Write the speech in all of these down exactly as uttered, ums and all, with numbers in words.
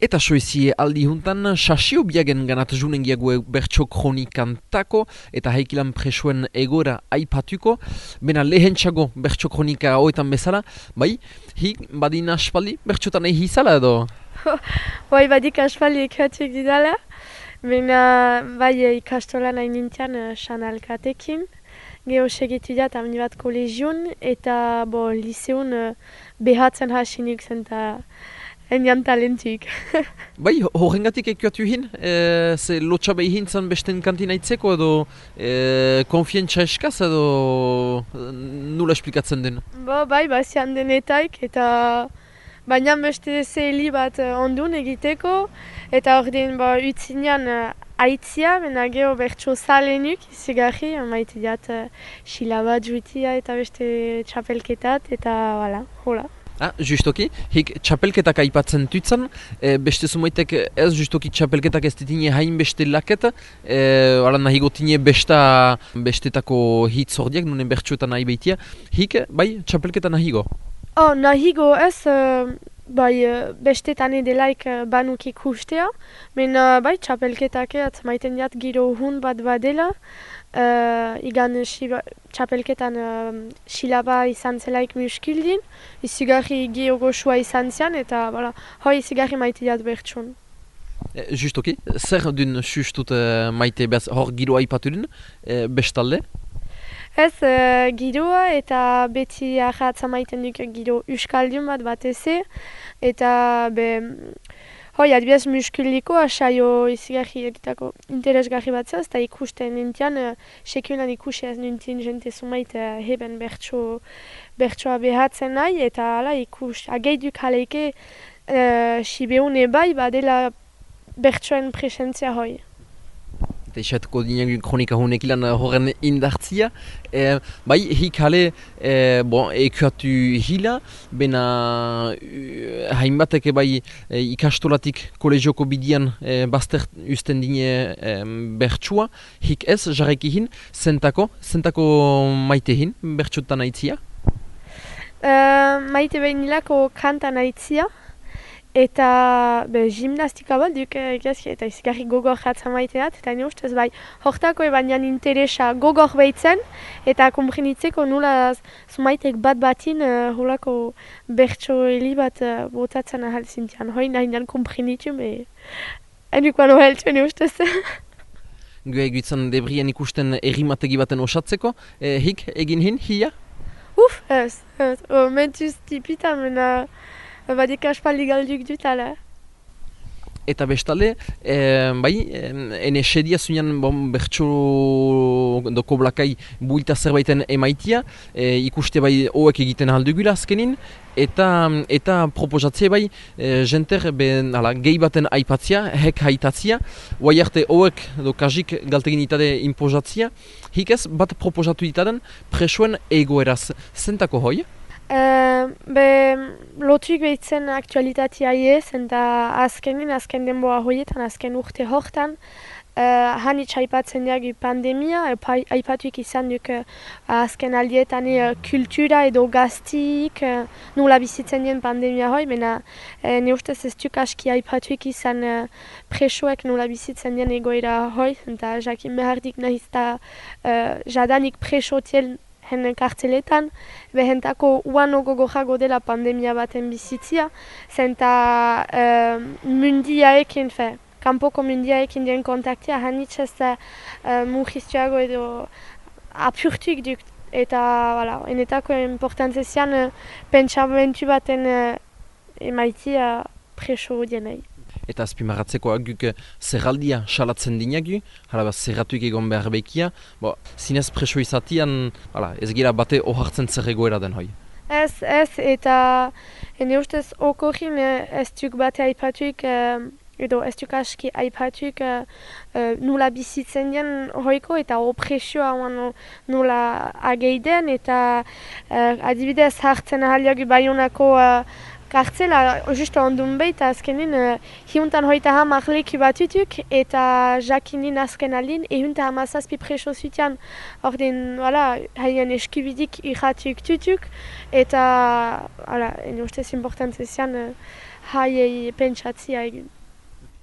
Eta soizie aldi juntan, Sasio Biagen ganat junen giague bertso kronikantako eta heikilan presoen egora aipatuko. Bena lehentxago bertso kronika hoetan bezala, bai, hik badin aspaldi bertsotan egi izala edo? Bai, badik aspaldi ekatuik didala, bena bai ikastolan hain nintian sanalkatekin. Geho segitu dat amni bat kolegion eta bo liseun behatzen hasinik zen eta enian talentik. Bai, horrengatik ekuatu hin, e, ze lotxa behi hintzan besten kantina itzeko edo e, konfientza eskaz edo nula esplikatzen den? Bo, bai, bazian denetaik eta baina beste zeheli bat ondun egiteko eta ordin ba, utzinean aitzia, bena geho bertso zalenuk izigarri, maite diat xila bat juitia eta beste txapelketat eta wala, hola. Ah, justoki, hik txapelketak aipatzen tutzan, e, beste zumaitek ez justoki txapelketak ez ditine hain beste laket, e, ala nahi gotine besta bestetako hitz hordiak, nunen bertsuetan nahi behitia, hik, bai, txapelketan nahi go? Oh, nahi go ez, uh, bai, bestetan edelaik banuk ikustea, men uh, bai, txapelketak ez maiten diat giro hun bat badela, Uh, igan shiba, txapelketan uh, silaba izan zelaik muskildin, izigarri geho goxua izan zian, eta bala, hoi izigarri maite diat bertson. E, justoki, zer dun sustut uh, maite behaz hor giroa ipatu dun, e, bestalde? Ez, uh, giroa eta beti ahatza maiten duk giro uskaldun bat bat eze, eta be... Hoi, adibidez muskuliko asaio izigarri egitako interesgarri bat zaz, eta ikusten nintian, uh, sekulan ikusi ez nintin jente zumait uh, heben bertso, bertsoa behatzen nahi, eta ala ikus, ageiduk haleike uh, sibeune bai badela bertsoen presentzia hoi. Eta isatuko dinean kronika honek ilan horren indartzia. E, bai, hik hale, e, bon, ekuatu hila, bena uh, hainbatek bai e, ikastolatik kolegioko bidian e, bazter usten dine e, bertsua, hik ez, jarreki hin, zentako, zentako maite hin, bertsutan aitzia? Uh, maite behin nilako kantan aitzia, eta be, gimnastika bat duk egazki, eta izigarri gogor jatzen maite dat, eta nire ustez bai, hortako ebanian interesa gogor behitzen, eta komprenitzeko nula zumaitek bat batin uh, holako bertso heli bat uh, botatzen ahal zintian. Hoi nahi nian komprenitu, me endukoan oheltu nire ustez. Gue egutzen debrien ikusten errimategi baten osatzeko, e, hik egin hin, hia? Uf, ez, ez, o, mentuz tipita, mena... Badik aspaldi galduk dut, ala. Eta bestalde, e, bai, ene sedia zunean bon, bertso doko blakai builta zerbaiten emaitia, e, ikuste bai hoek egiten aldugula azkenin, eta eta proposatze bai, e, jenter ben, ala, gehi baten aipatzia, hek haitatzia, guai arte hoek do kajik galtegin itade imposatzia, hikez bat proposatu itaden presoen egoeraz, zentako hoi? Uh, be, lotuik behitzen aktualitatea ez, eta azkenin, azken denboa hoietan, azken urte hortan, uh, hanitz aipatzen diagu pandemia, aipatuik izan duk uh, azken aldietan uh, kultura edo gaztik, uh, nula bizitzen dien pandemia hoi, mena uh, ne ustez ez duk aski aipatuik izan uh, presoek nula bizitzen dien egoera hoi, eta jakin behardik nahiz eta uh, jadanik presotiel hen kartzeletan, behentako uano gogojago dela pandemia baten bizitzia, zenta uh, mundiaekin, fe, kanpoko mundiaekin dien kontaktia, hanitz ez uh, mugiztuago edo apurtuik duk, eta, wala, enetako importantzezian uh, pentsamentu baten uh, emaitia preso dienei. Eta azpimarratzeko aguk zerraldia salatzen dinagu, hala zerratuik egon behar behikia, bo, zinez preso izatian, hala, ez gira bate ohartzen zer egoera den hoi. Ez, ez, eta ene ustez okorin ez duk bate aipatuik, edo ez duk aski aipatuik nula bizitzen dien hoiko, eta opresioa nula ageiden, eta adibidez hartzen ahaliagu Baionako kartzela, justo ondun behi, eta azkenin uh, hiuntan hoita hamar leku batutuk, eta jakinin azken aldin, ehunta hamazazpi preso zutian, ordin, wala, haien eskubidik irratuk tutuk, eta, wala, ene ustez importantzezian, uh, haiei pentsatzia egin.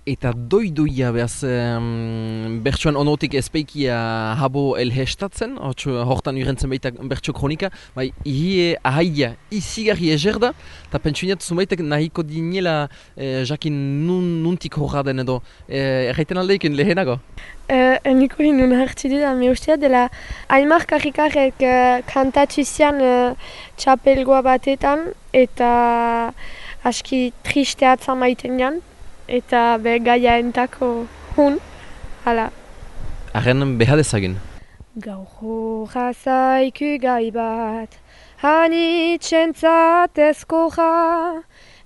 Eta doidoia behaz, um, bertsuan onotik ezpeikia habo elhestatzen, hortan urentzen baita bertso kronika, bai, ihie ahaia izigarri ezer da, eta pentsuniat zumaitek nahiko dinela eh, jakin nun, nuntik horra den edo, eh, erraiten aldeiken lehenago? Uh, niko hinun hartzi dira, me ustea dela Aimar Karrikarek uh, kantatzi zian uh, txapelgoa batetan, eta aski triste atza maiten jan. Eta be gaia entako hun, hala. Arren behar dezagin. Gaur horra zaiku gai bat, hanitzentzat ezkorra,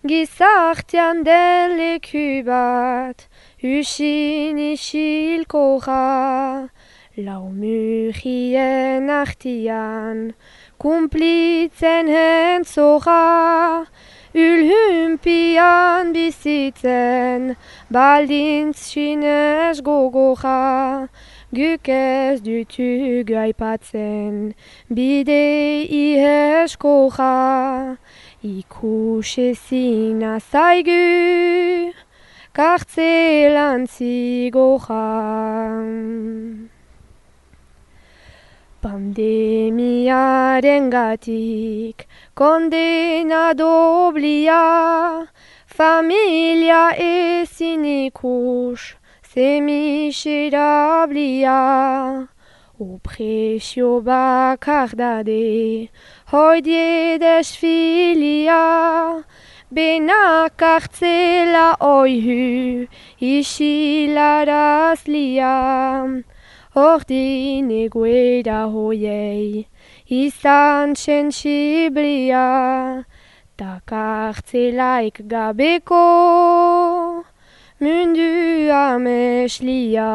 gizartean den leku bat, usin isilkorra, lau murien artian, kumplitzen hentzora, Ulhumpian bizitzen, baldintz sinez gogorra, guk ez dutug aipatzen, bide iheskorra, ikusezina zaigu, kartzelan zigorra. Pandemiaren gatik, kondena doblia, familia ezin ikus, semiserablia. Opresio bakardade, hoidie desfilia, benak kartzela oihu, isilarazlia. Ordin egoera hoiei, izan sentsiblia, ta kartzelaik gabeko, mundu ameslia.